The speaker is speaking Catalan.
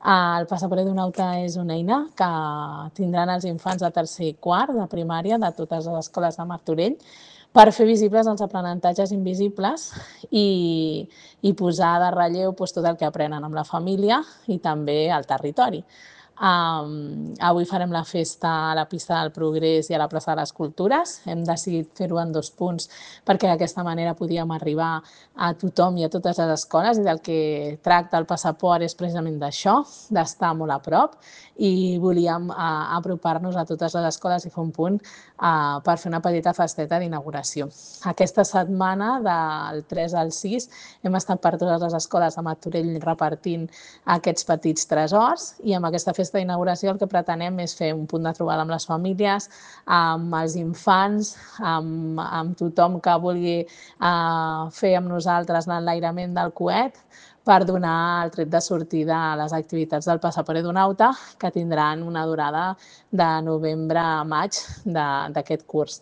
El Passaport Edunauta és una eina que tindran els infants de tercer i quart de primària de totes les escoles de Martorell per fer visibles els aprenentatges invisibles i posar de relleu tot el que aprenen amb la família i també al territori. Avui farem la festa a la pista del Progrés i a la plaça de les Cultures. Hem decidit fer-ho en 2 punts perquè d'aquesta manera podíem arribar a tothom i a totes les escoles, i del que tracta el passaport és precisament d'això, d'estar molt a prop, i volíem apropar-nos a totes les escoles i fer un punt per fer una petita festeta d'inauguració. Aquesta setmana, del 3 al 6, hem estat per totes les escoles de Martorell repartint aquests petits tresors, i amb aquesta festa d'inauguració el que pretenem és fer un punt de trobada amb les famílies, amb els infants, amb tothom que vulgui fer amb nosaltres l'enlairament del coet, per donar el tret de sortida a les activitats del Passaport Edunauta, que tindran una durada de novembre a maig d'aquest curs.